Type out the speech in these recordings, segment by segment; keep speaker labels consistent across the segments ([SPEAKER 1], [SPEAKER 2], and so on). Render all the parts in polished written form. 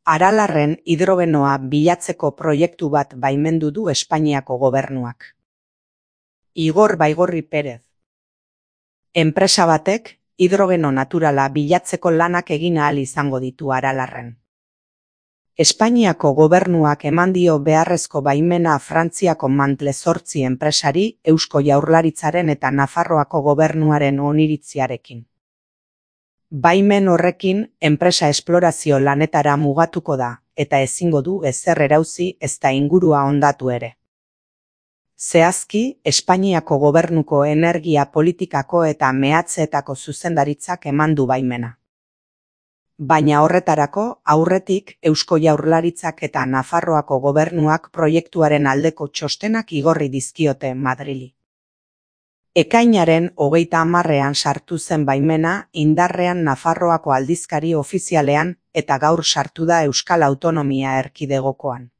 [SPEAKER 1] Aralarren hidrogenoa bilatzeko proiektu bat baimendu du Espainiako gobernuak. Igor Baigorri Pérez. Enpresa batek hidrogeno naturala bilatzeko lanak egin ahal izango ditu Aralarren. Espainiako gobernuak eman dio beharrezko baimena Frantziako Mantle 8 enpresari Eusko Jaurlaritzaren eta Nafarroako gobernuaren oniritziarekin. Baimen horrekin enpresa esplorazio lanetara mugatuko da, eta ezingo du ezer erauzi ezta ingurua hondatu ere. Zehazki, Espainiako gobernuko energia politikako eta mehatzeetako zuzendaritzak eman du baimena. Baina horretarako, aurretik Eusko Jaurlaritzak eta Nafarroako gobernuak proiektuaren aldeko txostenak igorri dizkiote Madrili. Ekainaren 30ean sartu zen baimena indarrean Nafarroako aldizkari ofizialean eta gaur sartu da Euskal Autonomia Erkidegokoan.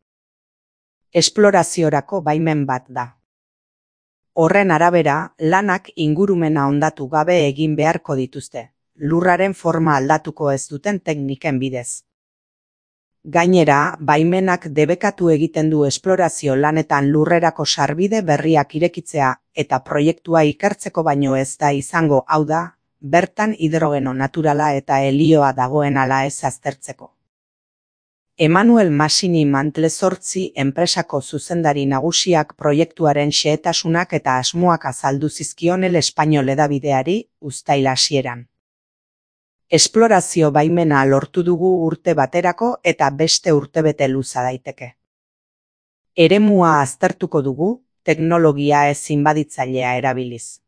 [SPEAKER 1] Esploraziorako baimen bat da. Horren arabera, lanak ingurumena hondatu gabe egin beharko dituzte, lurraren forma aldatuko ez duten tekniken bidez. Gainera, baimenak debekatu egiten du esplorazio lanetan lurrerako sarbide berriak irekitzea eta proiektua ikertzeko baino ez da izango, hau da, bertan hidrogeno naturala eta helioa dagoen ala ez aztertzeko. Emmanuel Masini Mantle 8 enpresako zuzendari nagusiak proiektuaren xehetasunak eta asmoak azaldu zizkion El Español hedabideari uztail hasieran. Esplorazio baimena lortu dugu urte baterako eta beste urtebete luza daiteke. Eremua aztertuko dugu, teknologia ez inbaditzailea erabiliz.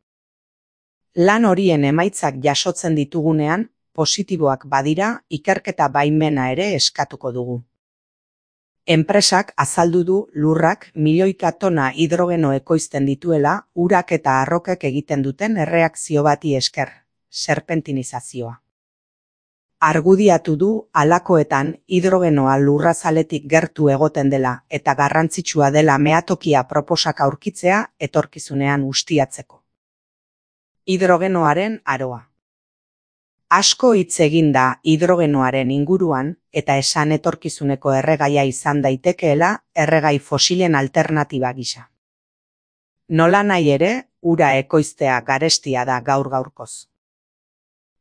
[SPEAKER 1] Lan horien emaitzak jasotzen ditugunean, positiboak badira, ikerketa baimena ere eskatuko dugu. Enpresak azaldu du lurrak milioika tona hidrogeno ekoizten dituela urak eta arrokek egiten duten erreakzio bati esker, serpentinizazioa. Argudiatu du halakoetan hidrogenoa lurrazaletik gertu egoten dela eta garrantzitsua dela meatokia proposak aurkitzea etorkizunean ustiatzeko. Hidrogenoaren aroa. Asko hitz egin da hidrogenoaren inguruan eta esan etorkizuneko erregaia izan daitekeela erregai fosilen alternatiba gisa. Nolanahi ere, ura ekoiztea garestia da gaur-gaurkoz.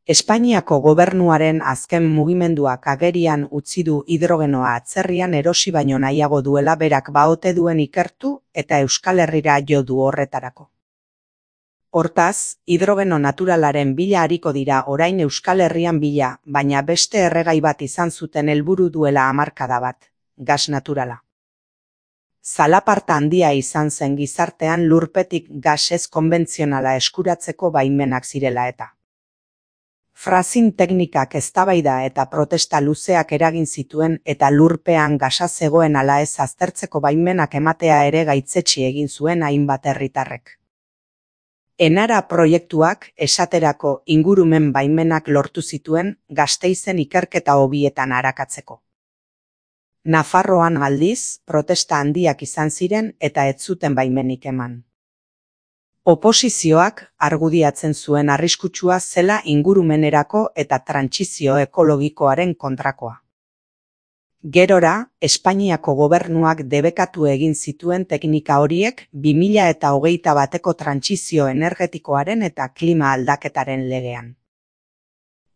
[SPEAKER 1] Espainiako gobernuaren azken mugimenduak agerian utzi du hidrogenoa atzerrian erosi baino nahiago duela berak baote duen ikertu eta Euskal Herrira jo du horretarako. Hortaz, hidrogeno naturalaren bila ariko dira orain Euskal Herrian bila, baina beste erregai bat izan zuten helburu duela hamarkada bat, gas naturala. Zalaparta handia izan zen gizartean lurpetik gas ez konbentzionala eskuratzeko baimenak zirela eta. Fracking teknikak eztabaida eta protesta luzeak eragin zituen eta lurpean gasa zegoen ala ez aztertzeko baimenak ematea ere gaitzetsi egin zuen hainbat herritarrek. Enara proiektuak esaterako ingurumen baimenak lortu zituen Gasteizen ikerketa hobietan arakatzeko. Nafarroan aldiz, protesta handiak izan ziren eta ez zuten baimenik eman. Oposizioak argudiatzen zuen arriskutsua zela ingurumenerako eta trantsizio ekologikoaren kontrakoa. Gerora, Espainiako gobernuak debekatu egin zituen teknika horiek 2021 trantsizio energetikoaren eta klima aldaketaren legean.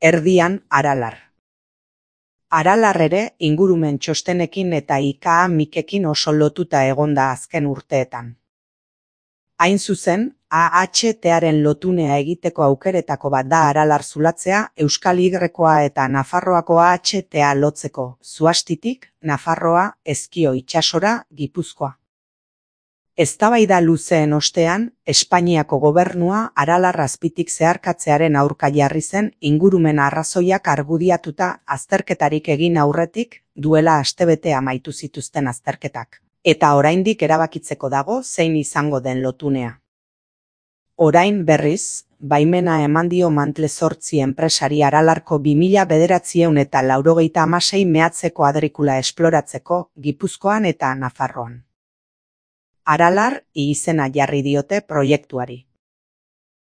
[SPEAKER 1] Erdian, Aralar. Aralar ere ingurumen txostenekin eta IKA-mikekin oso lotuta egonda azken urteetan. Hain zuzen, AHT-aren lotunea egiteko aukeretako bat da Aralar zulatzea Euskal Y-koa eta Nafarroako AHT-a lotzeko, Zuastitik, Nafarroa, Ezkio itsasora, Gipuzkoa. Eztabaida luzeen ostean, Espainiako gobernua Aralar azpitik zeharkatzearen aurka jarri zen ingurumen arrazoiak argudiatuta azterketarik egin aurretik duela astebete amaitu zituzten azterketak. Eta oraindik erabakitzeko dago zein izango den lotunea. Orain berriz, baimena eman dio Mantle 8 enpresari Aralarko 2996 mehatzeko adrikula esploratzeko Gipuzkoan eta Nafarroan. Aralar izena jarri diote proiektuari.